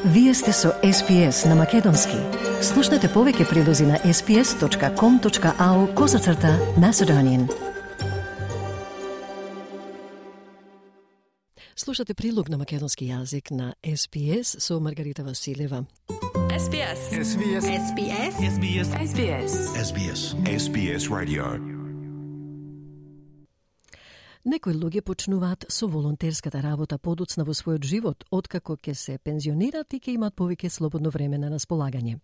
Вие сте со SPS на Македонски. Слушнете повеќе прилози на sps.com.au/Macedonian. Слушате прилог на македонски јазик на SPS со Маргарита Василева. SBS. SBS. SBS. SBS. SBS. SBS. SBS Radio. Некои луѓе почнуваат со волонтерската работа подоцна во својот живот, откако ќе се пензионират и ќе имат повеќе слободно време на располагање.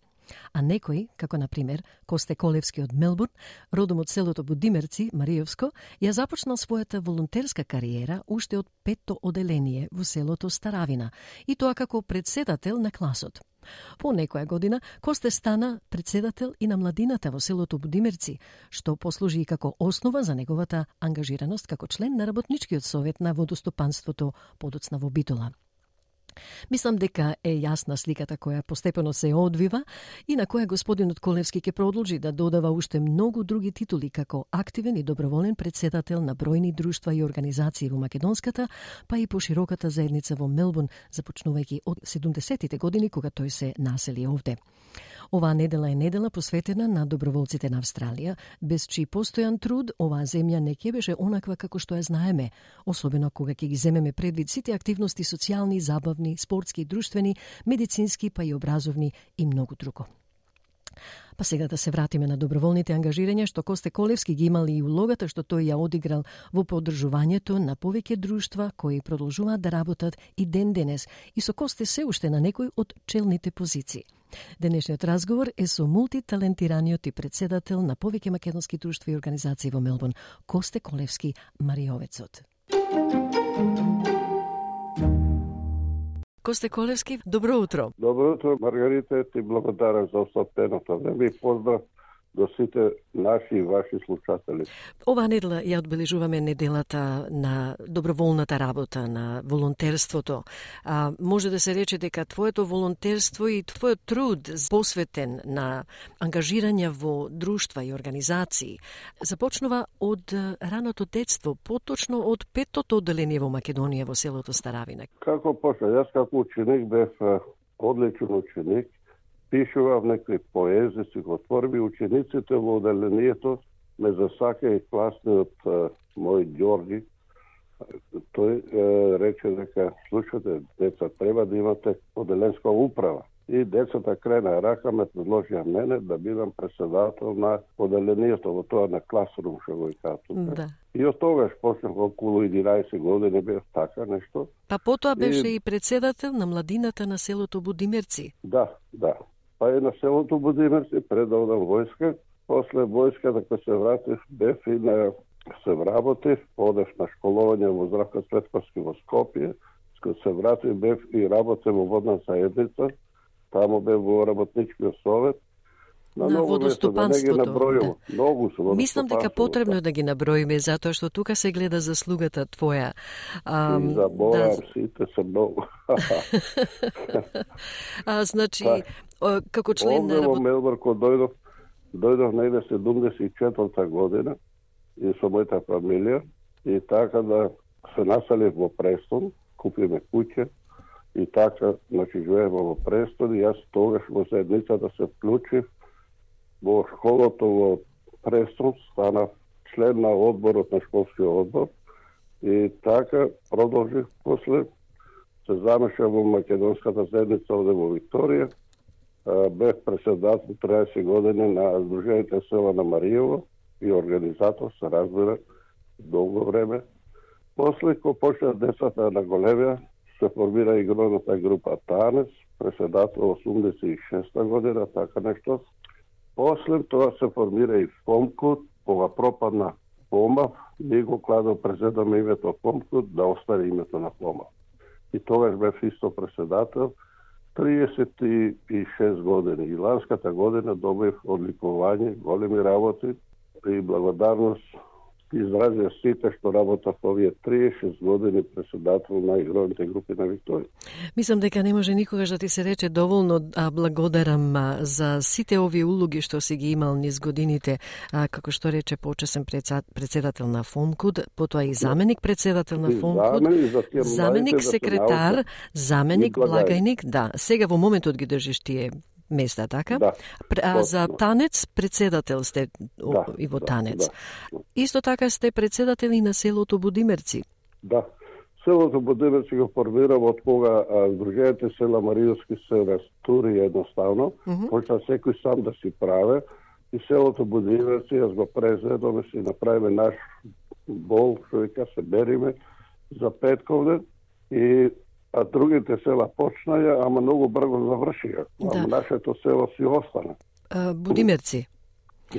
А некои, како на пример Косте Колевски од Мелбурн, родом од селото Будимерци, Маријовско, ја започнал својата волонтерска кариера уште од 5-то оделение во селото Старавина, и тоа како председател на класот. По некоја година Косте стана председател и на младината во селото Будимерци, што послужи и како основа за неговата ангажираност како член на работничкиот совет на водостопанството подоцна во Битола. Мислам дека е јасна сликата која постепено се одвива и на која господинот Колевски ќе продолжи да додава уште многу други титули како активен и доброволен председател на бројни друштва и организации во македонската, па и по широката заедница во Мелбурн, започнувајќи од 70-тите години кога тој се насели овде. Оваа недела е недела посветена на доброволците на Австралија, без чиј постојан труд оваа земја не ќе беше онаква како што ја знаеме, особено кога ќе ги земеме предвид сите активности социјални, забавни, спортски, друштвени, медицински, па и образовни и многу друго. Па сега да се вратиме на доброволните ангажирања што Косте Колевски ги имали и улогата што тој ја одиграл во поддржувањето на повеќе друштва кои продолжуваат да работат и ден денес и со Косте се уште на некој од челните позиции. Денешниот разговор е со мултиталентираниот и председател на повеќе македонски друштва и организации во Мелбурн, Косте Колевски, Маријовецот. Косте Колевски, добро утро. Добро утро, Маргарита, ти благодарам за остапеното време и поздрав до сите наши и ваши слушатели. Оваа недела ја одбележуваме неделата на доброволната работа, на волонтерството. Може да се рече дека твоето волонтерство и твојот труд посветен на ангажирање во друштва и организации започнува од раното детство, поточно од 5-то оделение во Македонија во селото Старавина. Како почна? Јас како ученик бев одличен ученик, пишував некои поези, стихотворби, учениците во оделението ме засака и класниот мој Ѓорги. Тој рече дека, слушате, деца, треба да имате оделенска управа. И децата крена рака ме предложија мене да бидам председател на оделението, во тоа на класрум, што го кажа. Да. И од тогаш почнав околу 11 години бев така нешто. Па потоа беше и председател на младината на селото Будимерци. Да. Па и на селото Будимерци предавам војска. После војската кога се вратив, бев и се вработив, одев на школување во Здравко Цветковски во Скопје. Кога се вратив, бев и работев во водна заедница. Таму бев во работничкиот совет. На водостопанството. Да. Многу се мислам дека потребно е да ги наброиме, затоа што тука се гледа заслугата твоја. И заборам, сите се многу. Значи, како член на во Мелбурн, кога дојдов негде 74-та година и со мојата фамилија и така да се населив во Престон, купиме куќа и така, значи, живееме во Престон и јас тогаш во заедницата се вклучив во школото во Престон, станав член на одборот на школскиот одбор и така продолжив. После се замешав во македонската заедница овде во Викторија. Бев председател 30 години на Сдруженијето села на Маријово и организатор, се разбира, долго време. После, кога почна децата на големија, се формира игровната група Танес, председател 86 година, така нешто. После тоа се формира и Фомкут, кога пропадна Фомав, ние го кладо презедаме името Фомкут, да остане името на Фомав. И тогаш бев исто председател 36 години. И ланската година добив одликување, големи работи и благодарност изразија сите што работа во овие 36 години председател на игровите групи на Викторија. Мислам дека не може никогаш да ти се рече доволно благодарам за сите овие улоги што си ги имал низ годините, како што рече почесен председател на ФОНКУД, потоа и заменик председател на ФОНКУД, заменик секретар, заменик благајник, да. Сега во моментот ги држиш тие места, така? Да. За танец председател сте и во танец. Исто така сте председател и на селото Будимерци. Да. Селото Будимерци го формирам од кога Сдруженијата села Маријовски се растури едноставно, почна секој сам да си праве и селото Будимерци јас го презедоме, си направиме наш бол, што вика се бериме за петковден и а другите села почнаја, ама многу брзо завршија. Ама нашето село си остана. Будимерци.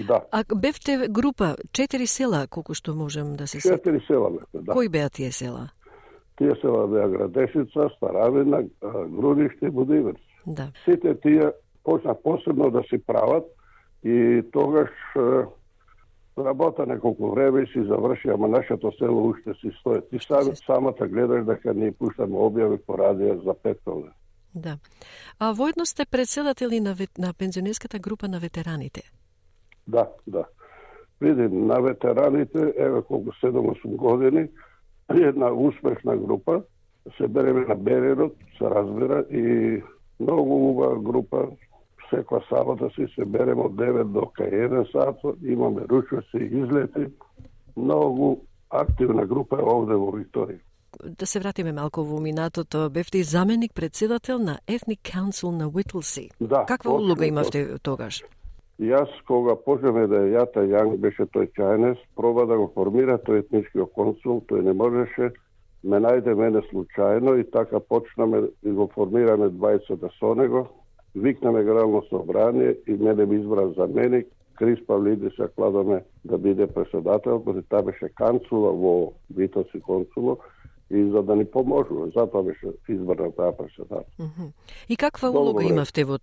Да. А бевте група, 4 села, колку што можем да се 4 села бевте, да. Кои беа тие села? Тие села беа Градешица, Старавина, Грудиште и Будимерци. Да. Сите тие почна посебно да си прават и тогаш работа неколку време и си заврши, ама нашето село уште си стои. Ти самата гледаш дека ние пуштаме објави по радио за петковден. Да. А воедно сте председатели на пензионерската група на ветераните? Да, да. Види, на ветераните, еве колку 7-8 години, една успешна група, се береме на Берерот, се разбира, и многу убава група, секоја сабота си се береме од 9 до 1 сат, имаме ручоци и излети, многу активна група е овде во Викторија. Да се вратиме малку во минатото, бевте и заменик председател на Ethnic Council на Whittlesea. Да, каква улога имавте тогаш? Јас, кога почнеме да Јата Јанг, беше тој Чајнес, проба да го формира тој етничкиот консул, тој не можеше, ме најде мене случајно и така почнаме и го формираме 20 со него, викнаме генерално собрание и мене ми избра заменик, Крис Павлидис ја кладаме да биде председател, кој таа беше канцула во Витоци консуло, и за да ни поможува, затоа беше избрана таа председател. И каква улога имавте во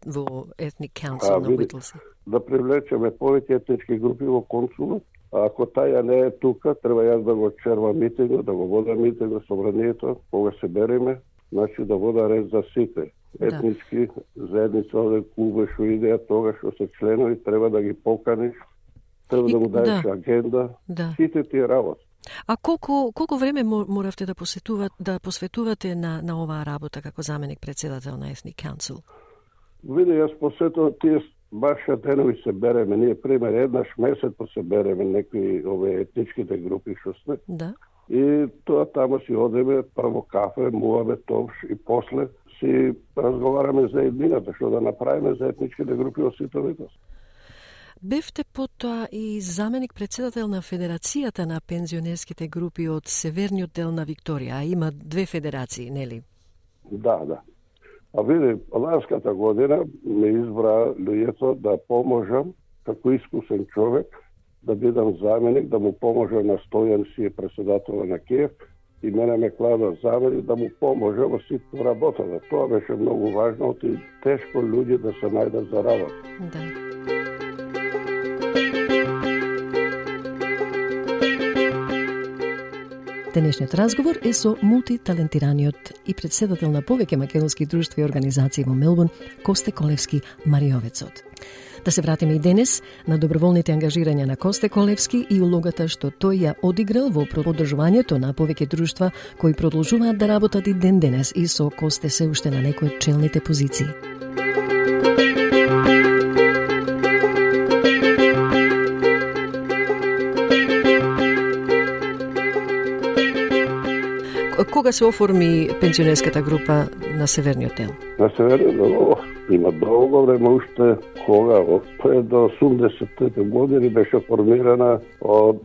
Ethnic Council на Whittlesea? Да привлечеме повеќе етнички групи во консулот, а ако таја не е тука, треба јас да го червам митингот, да го водам митингот собранието, кога се береме, значи да вода ред за сите. Етнички заедница овде клуб што идеја тога што се членови, треба да ги поканиш, треба да му даеш агенда, сите тие работи. А колку време моравте да посветувате на оваа работа како заменик председател на Ethnic Council? Види, јас посветувам тие баша денови се береме, ние пример еднаш месец се береме некои овие етничките групи што сме. Да. И тоа тамо си одеме, прво кафе, муваме товш и после си разговараме за еднината, што да направиме за етничките групи во ситовитост. Бевте потоа и заменик председател на Федерацијата на пензионерските групи од северниот дел на Викторија, а има 2 федерации, нели? Да, да. А види, ланската година ме избра луѓето да поможам како искусен човек, да бидам заменик, да му поможам на Стојан си председател на КЕФ и мене ме клада заменик да му поможам во сите работата. Тоа беше многу важно и тешко луѓе да се најдат за работа. Да. Денешниот разговор е со мултиталентираниот и председател на повеќе македонски друштва и организации во Мелбурн, Косте Колевски Мариовецот. Да се вратиме и денес на доброволните ангажирања на Косте Колевски и улогата што тој ја одиграл во поддржувањето на повеќе друштва кои продолжуваат да работат и ден денес и со Косте се уште на некои од челните позиции. Кога се оформи пензионерската група на северниот дел? На северниот дел има долго време, уште кога пред до 80-те години беше формирана од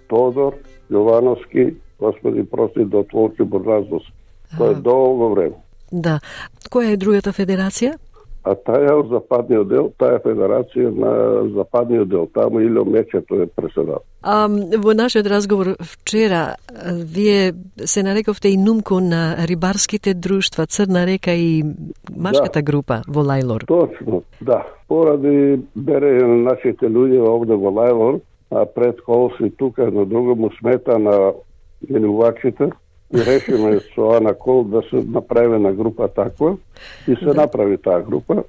Тодор Јовановски, Господи прости, до Творчи Борназдос. Тоа е долго време. Да. Која е другата федерација? А таја од западниот дел, таја федерација на западниот дел, таму Илио Мечето е председател. Во нашиот разговор вчера, вие се нарековте и нумко на рибарските друштва Црна река и машката група во Лајлор. Точно, да. Поради берење на нашите луѓе овде во Лајлор, а пред колси тука едно друго му смета на минувачите и решиме со Ана Кол да се направи на група таква и се направи таа група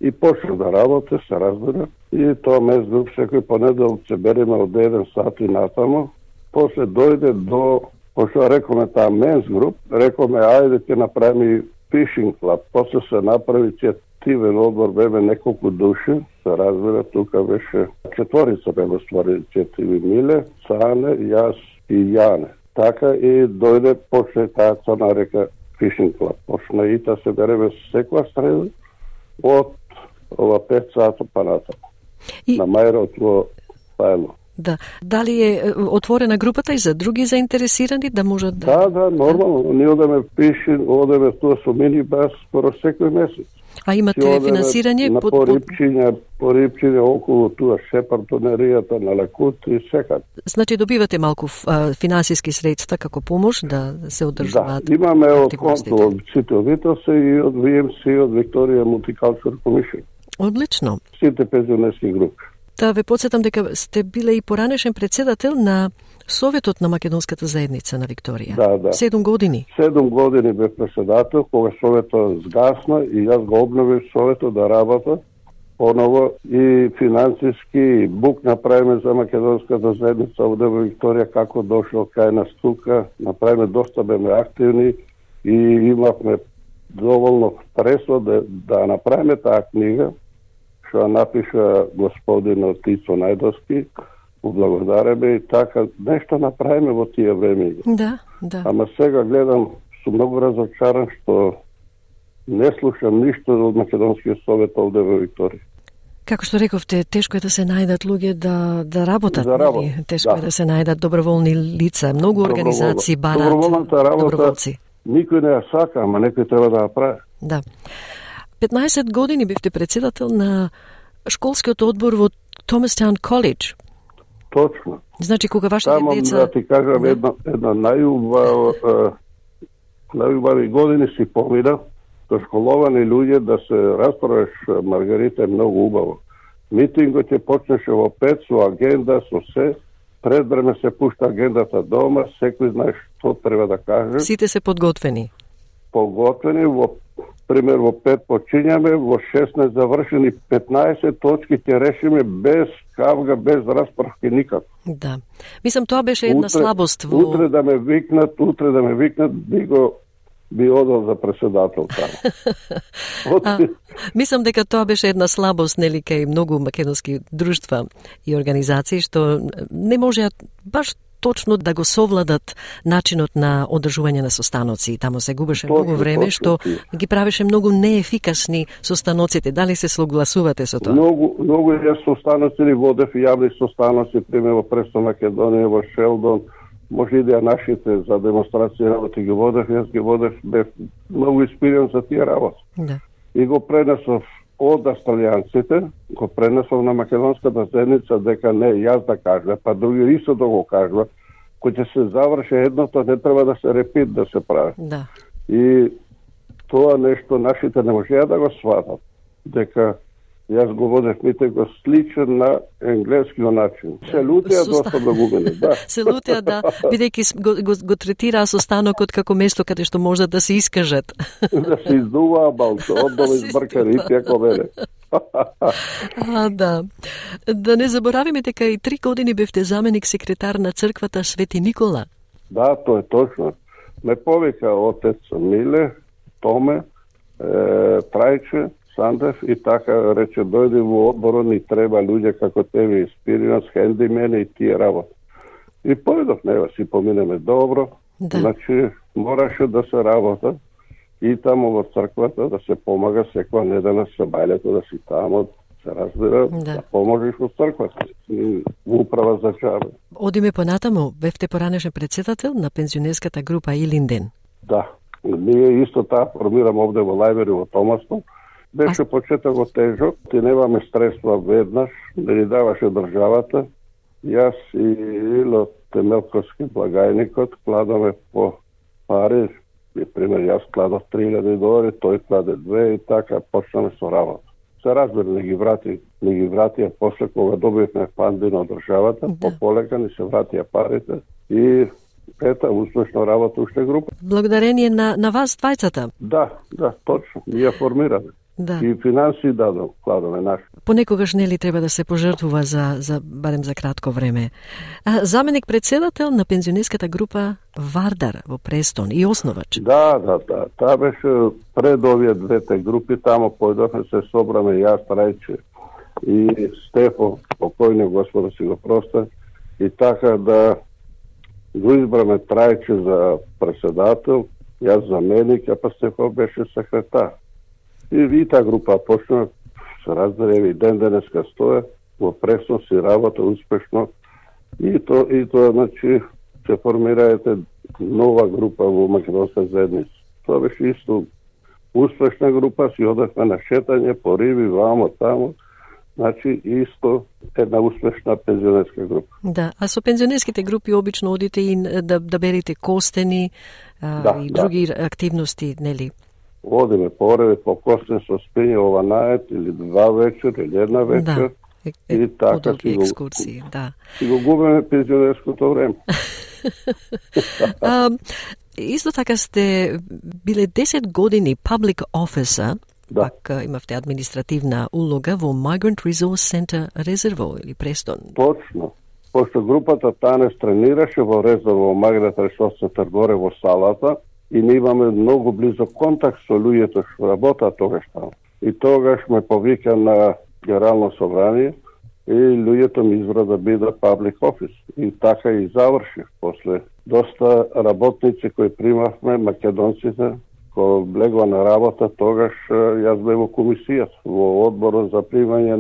и почна да работи, се разбира. И тоа мес груп секој понеделник се береме од 1 сат и натамо. После дојде до, пошто рекоме таа менс груп, рекоме ајде ќе направиме фишинг клуб. После се направи иницијативен одбор, беме неколку души, се разбира, тука беше 4 беме стварили иницијативи, Миле, Цане, јас и Јане. Така и дојде, почне таа Црна река фишинг клуб. Почна и та се береме секоја среда од ова 5 сата па натаму. На мајрот во Пајло. Да. Дали е отворена групата и за други заинтересирани да можат да... Да, нормално. Ние одеме пишин, одеме тоа со минибас скоро секој месец. А имате финансирање на порипчиња околу туа Шепартонеријата на Лекут и секад. Значи добивате малку финансиски средства како помош да се одржуваат. Да, имаме од конто од сите обителства и од VMC и од Victoria Multicultural Commission. Одлично. Сите пензионерски групи. Да ве подсетам дека сте биле и поранешен председател на Советот на македонската заедница на Викторија. Да. 7 години. 7 години бев председател, кога Советот сгасна и јас го обновив Советот да работа поново и финансиски и бук направиме за македонската заедница овде во Викторија како дошол кај нас тука, направиме доста беме активни и имавме доволно средства да направиме таа книга што напиша господин Тицо Најдовски, благодареме и така нешто направиме во тие време. Да. Ама сега гледам, сум многу разочаран што не слушам ништо од Македонскиот совет овде во Викторија. Како што рековте, тешко е да се најдат луѓе да работат. Тешко е да се најдат доброволни лица. Многу организации барат доброволци. Никој не ја сака, ама некој треба да ја прави. Да. 15 години бевте председател на школскиот одбор во Томастаун Колидж. Точно. Значи, кога вашите деца... Да ти кажам, една најубави години си помина, со школовани луѓе да се расправиш, Маргарита, е многу убаво. Митингот ќе почнеше во 5 со агенда, со се. Пред време се пушта агендата дома, секој знае што треба да каже. Сите се подготвени. Пример, во 5 почињаме, во 16 завршени, 15 точки ќе решиме без кавга, без расправки никако. Да. Мислам, тоа беше една слабост во... Утре да ме викнат, би одел за председател таму. Мислам дека тоа беше една слабост, нели, кај многу македонски друштва и организации, што не можеа баш точно да го совладат начинот на одржување на состаноци. Таму се губеше многу време, што ги правеше многу неефикасни состаноците. Дали се согласувате со тоа? Многу јас состаноци водев јавни состаноци, пример во Престо Македонија, во Шелдон, може и да нашите за демонстрации работи ги водев, јас ги водев, бев многу испирен за тие работи. Да. И го пренесов од австралијанците, го пренесов на македонската заедница дека не јас да кажа, па други исто да го кажа, кој ќе се заврши едното, не треба да се репит да се прави. Да. И тоа нешто нашите не можеа да го сватат, дека јас го водев митинг сличен на енглескиот начин. Се лутеа доста многумени, да. Се лутеа, да, бидејќи го третираа состанокот како место каде што можат да се искажат. Да се издуваа балто, одбава избркари и како мене. Да. Да не заборавиме дека и 3 години бевте заменик секретар на црквата Свети Никола. Да, тоа е точно. Ме повика отец Миле, Томе, Трајче, Сандев и така рече, дојде во одборот, ни треба луѓе како тебе, испиринас, хендимени и тие работи. И појдов, нева си поминеме добро, да. Значи мораше да се работа и тамо во црквата да се помага секоја недела се бајлето да си тамо, се разбира, да поможеш во црквата, управа за чабе. Одиме понатаму, бевте поранешен председател на пензионерската група Илинден. Да, ние исто таа формираме овде во Лајбери во Томастон. Беше почетокот тежок, ти немаме средства веднаш, не ни даваше државата. Јас и Ило Темелковски благајникот кладаме по пари, пример јас кладов $3,000, тој кладе 2 и така почнаме со работа. се разбира, не ги вратија после кога добивме фанди од државата, полека ни се вратија парите и успешно работа уште група. Благодарение на вас двајцата. Да, точно. Ние ја формираме. Да. И финанси кладаме наши. Понекогаш нели треба да се пожртвува за барем за кратко време. Заменик председател на пензионерската група Вардар во Престон и основач. Да. Таа беше пред овие двете групи, тамо појдовме се собраме јас, Трајче и Стефо, покојниот Господа си го проста, и така да го избраме Трајче за председател, јас заменик, а па Стефо беше секретар. И таа група почна, се разбере, и денеска стоја, во Престон си работа успешно, и тоа, значи, се формираете нова група во Македонска заедница. Тоа беше исто успешна група, си одевме на шетање по риби, вамо, тамо, значи исто една успешна пензионерска група. Да, а со пензионерските групи обично одите и да берите костени и други активности, нели? Одиме пореди по костен со спиње ованајет или 2 вечер или 1 вечер. Да, и така екскурсии, да. Си го губиме пензионерското време. Исто така сте биле 10 години public officer, пак имавте административна улога во Migrant Resource Center Резерво или Престон. Точно. Пошто групата Танес тренираше во Резерво, Migrant Resource Center горе во салата, и ние имаме многу близо контакт со луѓето што работат тогаш таму. И тогаш ме повика на Генерално собрание и луѓето ми избра да биде public office. И така и завршив. После доста работници кои примавме, македонците, кои влегла на работа, тогаш јас бев во комисијата, во одборот за примање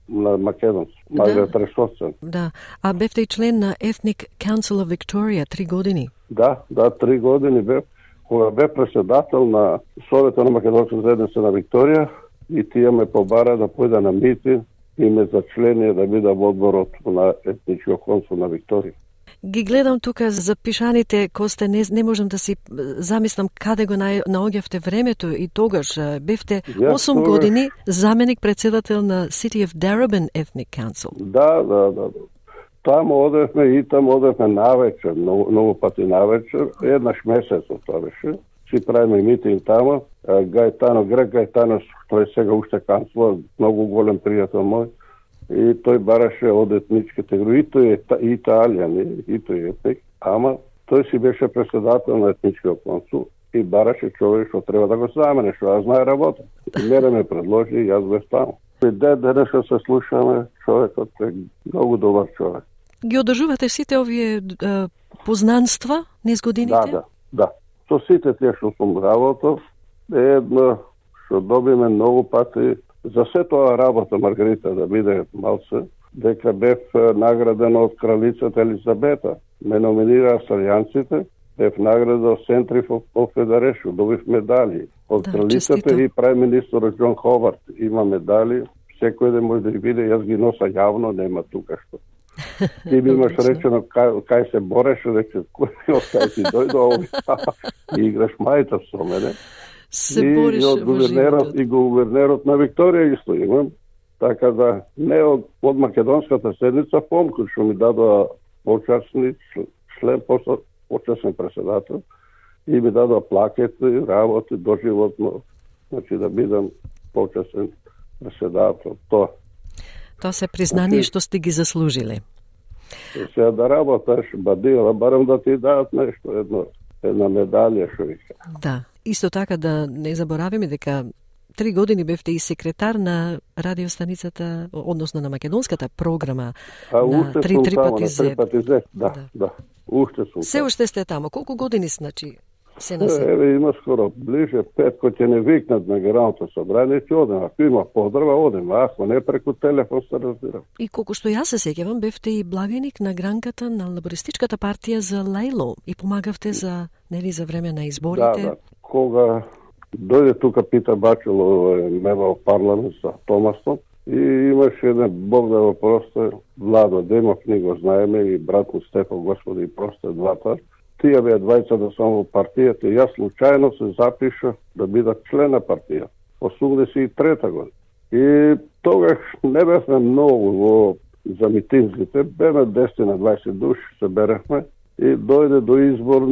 на македонци, Migrant Resource Center. Да, а бевте и член на Ethnic Council of Victoria 3 години. Да, 3 години бев. Кога бе председател на Совета на Македонска заедница на Викторија, и тие ме побара да појда на митинг и ме за чление да бида во одборот на етничкиот консул на Викторија. Ги гледам тука запишаните, Косте, не можам да си замислам каде го наоѓавте времето, и тогаш бевте 8 години заменик председател на City of Darebin Ethnic Council. Да. Таму одевме навечер, многу пати навечер, еднаш месецот тоа беше. Си правиме митинг таму. Грек Гајтано, тој сега уште канцлер, многу голем пријател мој, и тој бараше од етничките групи, и тој е италијан, и тој е етник, ама тој си беше председател на етничкиот консул и бараше човек што треба да го замене, што ја знае работа. И мене ме предложи, и јас бев таму. И денеска се слушаме, човекот е многу добар човек. Ги одржувате сите овие познанства низ годините? Да. Со сите тие што сум работов, едно што добиме многу пати за се тоа работа, Маргарита, да биде малце, дека бев награден од кралицата Елизабета. Ме номинира австралијанците, бев награден од Centre of Federation, добив медали од кралицата и прај министер Џон Ховард. Има медали, секој ден може да ги биде, јас ги носа јавно, нема тука што. Ти ми имаш речено кај се бореше, рече, кај си дојдо и играш мајта со мене. И од гувернерот на Викторија исто имам. Така да, не од Македонската седница, помку што ми дадоа почасни член, почасен председател, и ми дадоа плакети, работи доживотно, значи да бидам почасен председател. Тоа се признание што сте ги заслужиле. Сега да работаш, бадила, барам да ти дадат нешто, една медалја, што вика. Да, исто така да не заборавиме дека 3 години бевте и секретар на радиостаницата, односно на македонската програма на 3 пати Z. Да. Уште сум. Се уште сте тамо. Колку години, значи, се на се? Еве, има скоро ближе 5, кој ќе не викнат на Генералното собрание, ќе одем. Ако има поздрава, одем. Ако не, преку телефон се разбира. И колку што јас се сеќавам, бевте и благаник на гранката на лабористичката партија за Лейло и помагавте за време на изборите. Да. Кога дојде тука Питер Бачело, немал парламент за Томасон, и имаше еден Бог да го просте, Владо Демов, ни го знаеме, и брат му Стефан, Господи, и просте двата. Тие беа двајца да сам во партијата, и јас случајно се запиша да бидам член на партија. 83 година. И тогаш не бевме многу за митинзите, беме 10 на 20 души се берехме и дојде до избор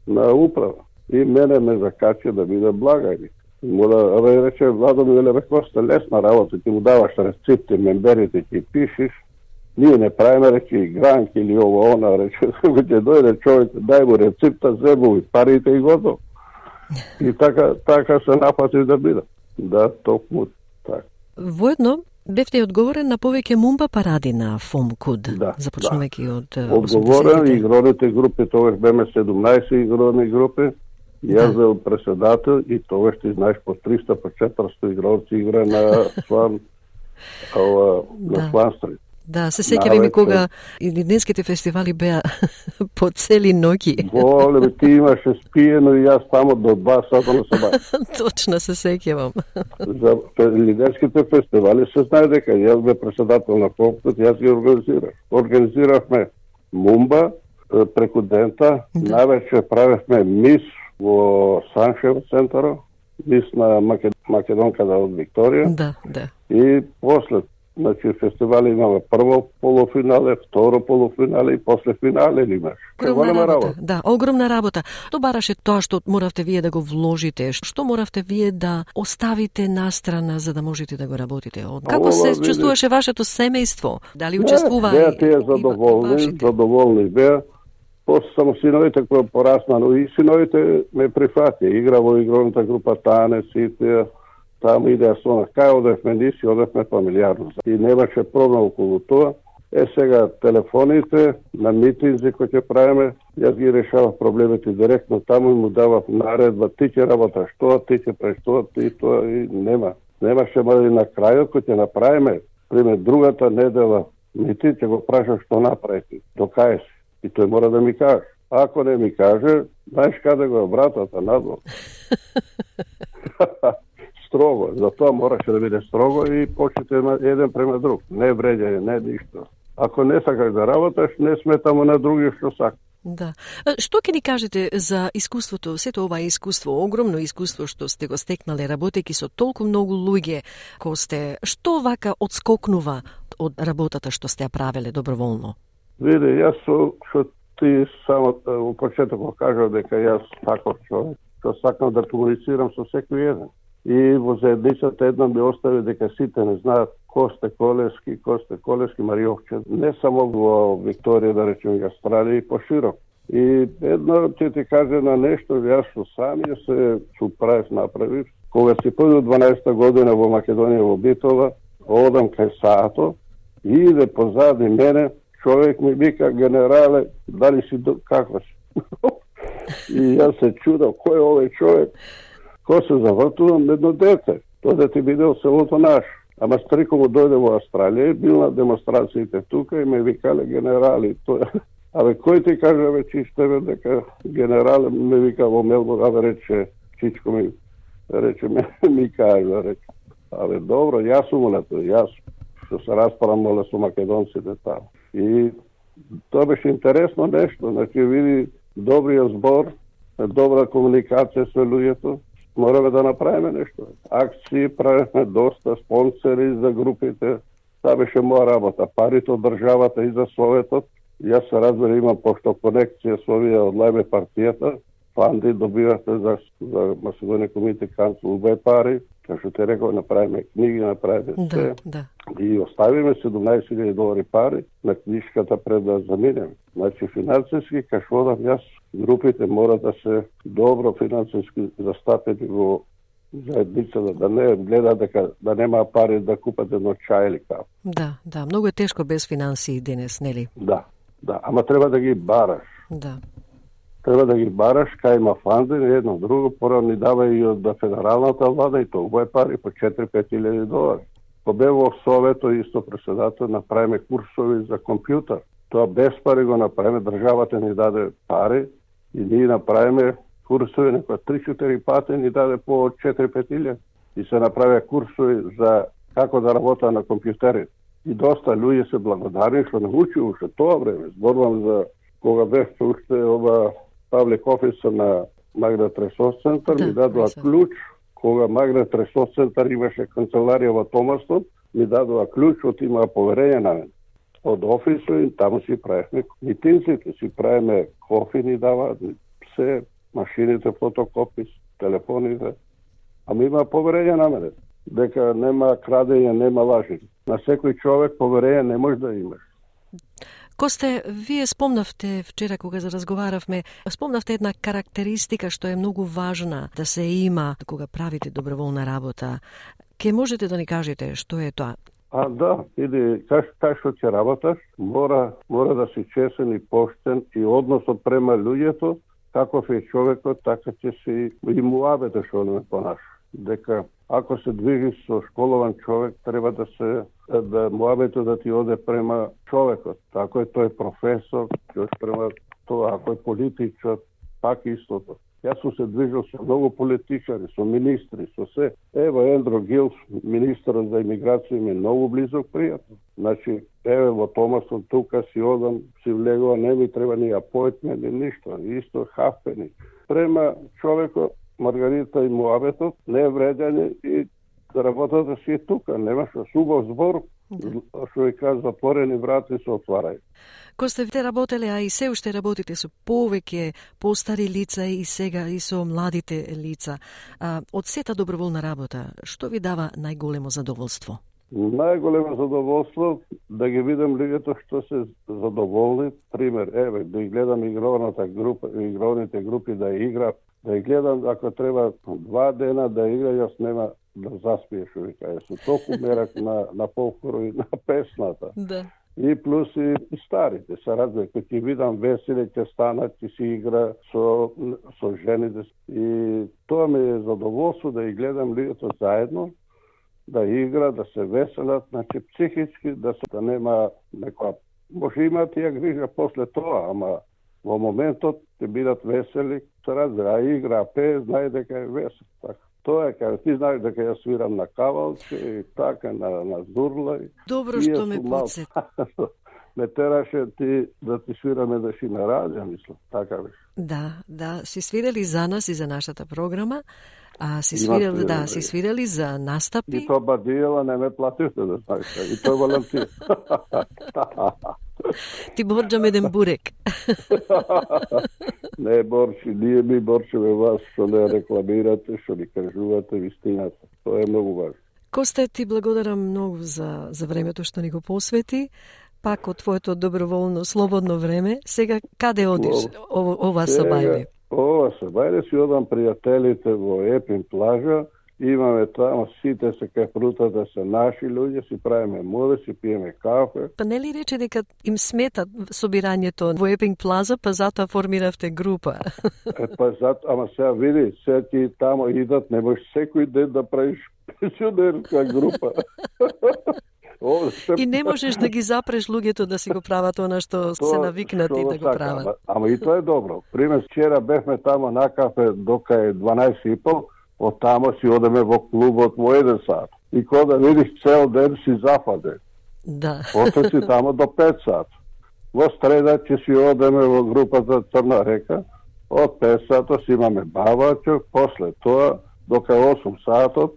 на управа. И мене ме закача да биде благајник. Му да рече, Владо ми рекосте лесна работа, ти му даваш рецепти, мемберите ти пишеш, ние не правиме, рече, игранки или ово, она, рече, ќе дојде човек, дај му рецепта, зебу и парите и готово. И така се напати да биде. Да, токму така. Воедно, бевте одговорен на повеќе мумба паради на ФОМ-КУД, започнувајќи од 80-те. Одговорен, игроните групи, тогаш беме 17 игрони групи, јас бил преседател и тогаш ти знаеш по 300, по 400 игрорци игра на Сван, на Сван Стрит. Да, се сеќавам и кога и денските фестивали беа по цели ноќи. Воле, ти имаше спиено и јас тамо до 2 сата на саба. Точно се сеќавам. За лидерските фестивали се знае дека јас бе преседател на ФОМ-КУД, јас ги организирав. Организиравме мумба преку дента, навечер правевме мис во Саншев центаро, мис на македонката од Викторија. Да. И после, значи, фестивали имаме прво полуфинале, второ полуфинале и после финале имаш. Огромна работа. Да, огромна работа. Тоа бараше тоа што моравте вие да го вложите, што моравте вие да оставите настрана за да можете да го работите. Како се чувствуваше вашето семејство? Дали учествува? Беа тие задоволни беа. После само синовите кои порасна, но и синовите ме прифати. Игра во игроната група Тане, сите, таму идеја со нас. Кај одевме ниси, одевме фамилиарно. И немаше проблем околу тоа. Сега телефоните на митинзи кои ќе правиме, јас ги решавав проблемите директно таму и му давав наредба, ти ќе работаш тоа, ти ќе правиш тоа, ти тоа и нема. Немаше мали на крајот кој ќе направиме, пример другата недела митин, ќе го прашаш што направите, докај си. И тој мора да ми каже. Ако не ми каже, знаеш каде го е братата надвор. Строго, затоа мораше да биде строго и почнете еден према друг. Не вреѓање, не ништо. Ако не сакаш да работаш, не сметамо на други што сака. Да. Што ќе ни кажете за искуството, сето ова искуство, огромно искуство што сте го стекнале работејќи со толку многу луѓе кои сте, што вака одскокнува од работата што сте ја правеле доброволно? Види, јас што ти само во почетокот кажав дека јас таков човек, што сакам да комуницирам со секој еден. И во заедницата една ми остави дека сите не знаат Косте Колевски, Мариовче, не само во Викторија, да речем, и Австралија и поширок. И едно ќе ти каже на нешто, јас со самија се правев направив. Кога си појду 12 година во Македонија во Битола, одам кај Саато и иде позади мене, човек ми вика, генерале, дали си како си? И јас се чудам, кој е овој човек? Кој се завртувам, едно дете. Тоа дете видел селото наш. Ама стрико му дојде во Австралија, бил на демонстрациите тука и ме викале генерали. Абе, кој ти кажа вече тебе дека генерал ме вика во Мелбурн, абе рече, Чичко ми рече, ми кажа, рече. Абе, добро, јас сум на тоа, јас што се расправам моле со македонците таму. И тоа беше интересно нешто, значи види добриот збор, добра комуникација со луѓето, мораме да направиме нешто. Акции правиме доста, спонсори за групите, таа беше моја работа. Парите од државата и за Советот, јас се разбира имам пошто конекција со овие од Лајбе партијата, фанди добивате за Македонија Комитет Канцел убај пари, како што те реков, направиме книги, направиме се. Да. И оставиме $17,000 пари на книжката пред да заминеме. Значи, финансиски, како одам јас, групите мора да се добро финансиски застапени во заедницата, да не гледа дека да нема пари да купат едно чај или кафе. Да, многу е тешко без финансии денес, нели? Да, ама треба да ги бараш. Да. Треба да ги бараш, кај има фанди, едно друго, пора ни дава и од федералната влада и тоа е пари по $4-5,000. По бе во Совето, исто преседател, направиме курсови за компјутер. Тоа без пари го направиме, државата ни даде пари и ние направиме курсови, некоја 3-4 пати ни даде по 4-5,000. И се направиме курсови за како да работа на компјутерите. И доста луѓе се благодарни што научи уште тоа време. Зборувам за кога бевте уште ова Public Office на Магда Тресос центар, ми дадоа кога Магнет Ресурс центар имаше канцеларија во Томастон, ми дадува клjučот, имаа поверење на мене. Од офисот и таму си правихме митинците, си правиме кофи, ни даваат се, машините, фотокопис, телефоните. Ама има поверење на мене, дека нема крадење, нема лажи. На секој човек поверење не може да имаш. Косте, вие спомнавте вчера кога разговаравме, спомнавте една карактеристика што е многу важна да се има кога правите доброволна работа. Ке можете да ни кажете што е тоа? Да, иди, кај што ќе работаш, мора да си чесен и поштен и односот према луѓето, каков е човекот, така ќе си и муабете што не понаша. Дека ако се движиш со школован човек, треба да муабето да ти оде према човекот. Ако е тој професор, ќе према тоа, ако е политичар, пак истото. Јас сум се движил со многу политичари, со министри, со се. Ево Ендро Гилс, министерот за имиграција, ми е многу близок пријател. Значи, еве во Томастон тука си одам, си влегува, не ми треба ни апојтмент, ни ништо, исто хафпени. Према човекот, Маргарита и муабетот, не е вредење и работата си е тука, немаш убав збор, што ви кажа, затворени врати се отварај. Косте, вие работеле, а и се уште работите со повеќе постари лица и сега и со младите лица. Од сета доброволна работа, што ви дава најголемо задоволство? Најголемо задоволство да ги видам луѓето што се задоволни. Пример, еве, да ги гледам игровните групи да игра, да ги гледам ако треба 2 дена да игра, јас нема да заспиеш, ви кажа. Со толку мерак на фолклорот и на песната. Да. И плюс и старите се разбира, кога ќе видам веселе, ќе станат, ќе си игра со жените. И тоа ми е задоволство да ги гледам луѓето заедно, да игра, да се веселат, значи психички, да нема некоја... Може имаат тија грижа после тоа, ама во моментот ќе бидат весели, се разбира, а игра, пее, знае дека е весел. Така. Тоа е кај ти знаеш дека ја свирам на кавалче и така на зурла. Добро што ме подсети. Ме тераше да ти свираме да си на радио, мислам, така беше. Да, си свирали за нас и за нашата програма, а си свирали за настапи. И тоа бадијела не ме платите, да знаеш, и тоа волонтир. Ти борџам еден бурек. Не, Борчи, ние ми борчеме вас, што не рекламирате, што ни кажувате вистината. Тоа е многу важно. Косте, ти благодарам многу за времето што ни го посвети. Пак од твоето доброволно, слободно време. Сега, каде одиш ова сабајле? Ова сабајле си одам пријателите во Епин плажа. Имаме тамо, сите се кај прутата се наши луѓе, си правиме море, си пиеме кафе. Па не ли рече дека им смета собирањето во Епинг Плаза, па затоа формиравте група? Ама сега види, сега ти тамо идат, не можеш секој ден да правиш пенсионерска група. И не можеш да ги запреш луѓето да си го прават она што се навикнати да го прават. Ама и тоа е добро. Пример, вчера бевме тамо на кафе дока е 12:30, од тамо си одеме во клубот во 1 сат. И кога да видиш цел ден си зафаден. Да. После си тамо до 5 сат. Во среда ќе си одеме во групата Црна река. Од 5 сата си имаме бавачок, после тоа дока 8 сатот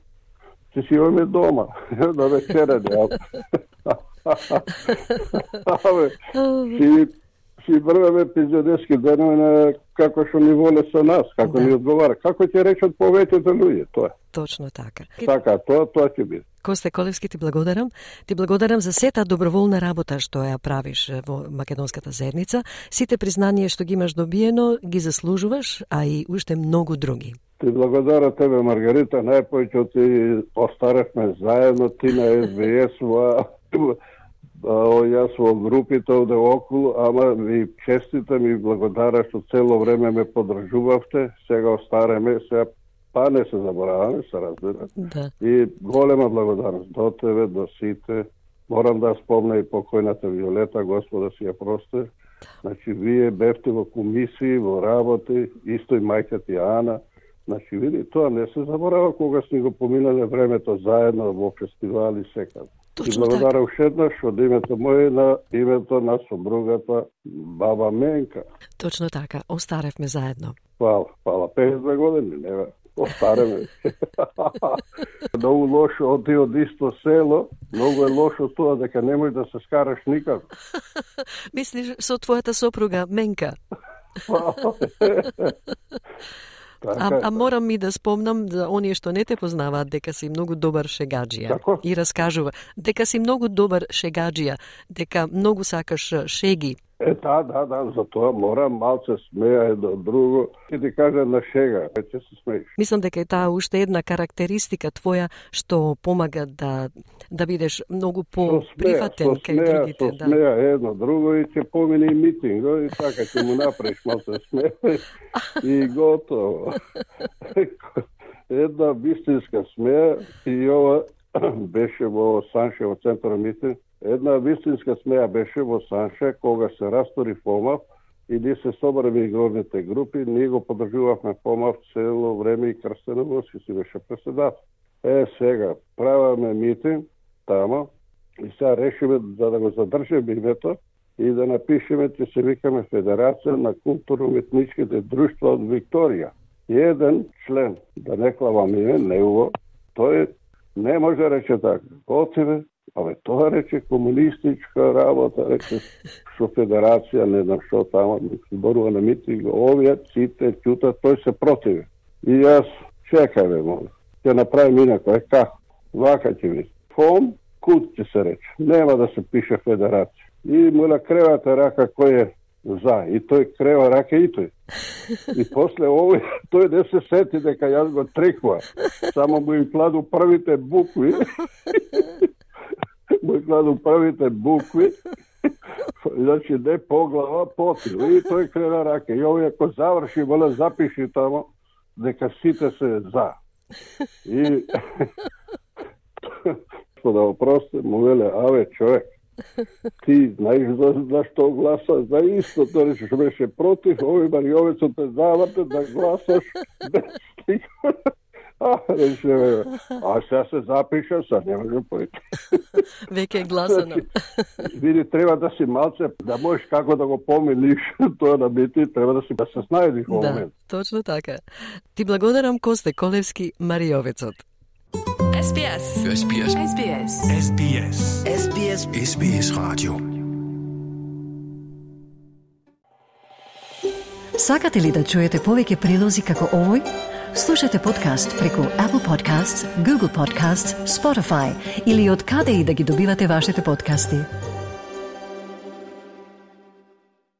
ќе си имаме дома. Да вечерене. Си врваме пензионерски денови како што ни воле со нас, како ни одговара. Како ќе речат повеќето луѓе, тоа. Точно така. Така, тоа ќе биде. Косте Колевски, ти благодарам. Ти благодарам за сета доброволна работа што ја правиш во Македонската заедница. Сите признание што ги имаш добиено, ги заслужуваш, а и уште многу други. Ти благодарам тебе, Маргарита, најпојќе ти остаревме заедно, ти на СБС, јас во групите овде околу, ама ви честитам и благодарам што цело време ме поддржувавте, сега остареме, сега па не се забораваме, се разбира. Да. И голема благодарност до тебе, до сите. Морам да спомна и покојната Виолета, Господа си ја прости. Значи, вие бевте во комисии, во работи, исто и мајка ти Ана. Значи, види, тоа не се заборава кога сме го поминале времето заедно во фестивали секаде. И благодарам уште еднаш од името моје на името на сопругата баба Менка. Точно така, остаревме заедно. Фала, 52 години, нема. Остареме. Многу лошо од исто село, многу е лошо тоа дека не можеш да се скараш никако. Мислиш со твојата сопруга Менка? А морам и да спомнам за оние што не те познаваат дека си многу добар шегаџија. Како? И раскажува дека си многу добар шегаџија, дека многу сакаш шеги. Да, за тоа морам малце смеја едно друго и ти кажа на шега, веќе се смееш. Мислам дека е таа уште една карактеристика твоја што помага да бидеш многу по-прифатен кај другите. Со смеја едно друго и ќе помине и митинго и така ќе му направиш малце смеја и готово. Една вистинска смеја и ова беше во Санше, во центар митинг. Една вистинска смеја беше во Санше, кога се растори ФОМАВ и ние се собраме игровните групи, ние го подржувавме ФОМАВ цело време и Крстен Овоски си беше председател. Сега, праваме митинг тамо и сега решиме за да го задржиме името и да напишеме, че се викаме Федерација на културно-уметничките друштва од Викторија. И еден член, да не клавам име, негово, тој не може да рече така. Отиве, тоа рече комунистичка работа, рече со федерација, не знам што тамо, зборува на митинг, овие сите ќутат, тој се противи. И јас, чекајме, моля, ќе направим инако, како? Вака ќе ви. ФОМ, кут ќе се рече, нема да се пише федерација. И моля кревате рака кој е за, и тој крева рака и тој. И после овој, тој не се сети дека јас го триква, само му им кладу првите букви, значи не по глава, потил. И тој крена раке. И овој ако заврши, моля, запиши тамо дека сите се за. И да опросте, му веле, аве, човек, ти знаеш за што гласа, за исто, тоа што беше против, овој Маријовецот те заврте да гласаш без стига. Рече, сега се запиша, сега не може појти. Веќе е гласано. Види, треба да си малце, да можеш како да го помилиш тоа на бити, треба да се снајдиш во момент. Да, точно така. Ти благодарам, Косте Колевски, Маријовецот. SBS. SBS. SBS. SBS. SBS. SBS Radio. Сакате ли да чуете повеќе прилози како овој? Слушате подкаст преку Apple Podcasts, Google Podcasts, Spotify или од каде и да ги добивате вашите подкасти.